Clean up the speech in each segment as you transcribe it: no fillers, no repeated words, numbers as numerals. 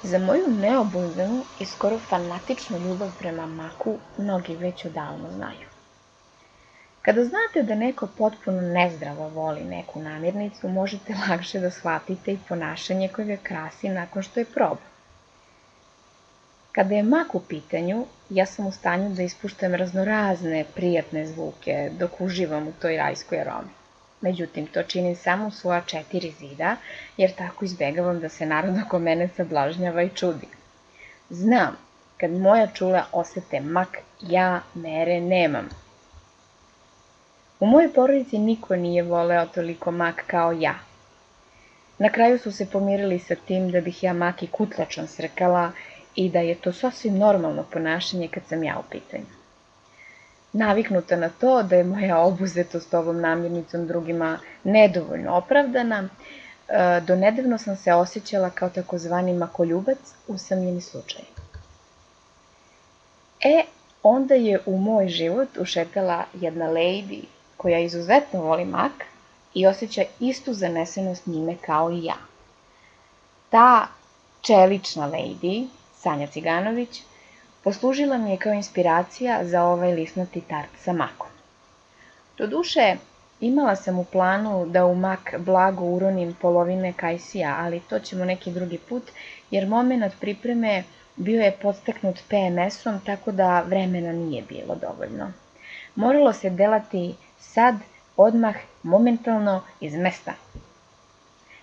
Za moju neobuzdanu i skoro fanatičnu ljubav prema maku mnogi već odavno znaju. Kada znate da neko potpuno nezdravo voli neku namirnicu, možete lakše da shvatite i ponašanje koje ga krasi nakon što je proba. Kada je mak u pitanju, ja sam u stanju da ispuštam raznorazne prijatne zvuke dok uživam u toj rajskoj aromi. Međutim, to činim samo u svoja 4 zida, jer tako izbegavam da se narod oko mene sablažnjava i čudi. Znam, kad moja čula osete mak, ja mere nemam. U mojoj porodici niko nije voleo toliko mak kao ja. Na kraju su se pomirili sa tim da bih ja mak i kutlačom srkala i da je to sasvim normalno ponašanje kad sam ja u pitanju. Naviknuta na to da je moja obuzetost ovom namirnicom drugima nedovoljno opravdana, do nedavno sam se osjećala kao takozvani makoljubac, usamljeni slučaj. Onda je u moj život ušetala jedna lady koja izuzetno voli mak i osjeća istu zanesenost njime kao i ja. Ta čelična lady, Sanja Ciganović, poslužila mi je kao inspiracija za ovaj lisnati tart sa makom. Doduše, imala sam u planu da u mak blago uronim polovine kajsija, ali to ćemo neki drugi put, jer momenat pripreme bio je podstaknut PMS-om, tako da vremena nije bilo dovoljno. Moralo se delati sad, odmah, momentalno, iz mesta.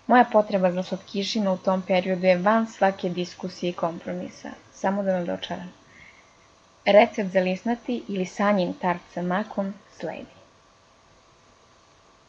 Moja potreba za slatkišima u tom periodu je van svake diskusije i kompromisa. Samo da vam dočaram. Recept za lisnati ili Sanjin tart sa makom sledi.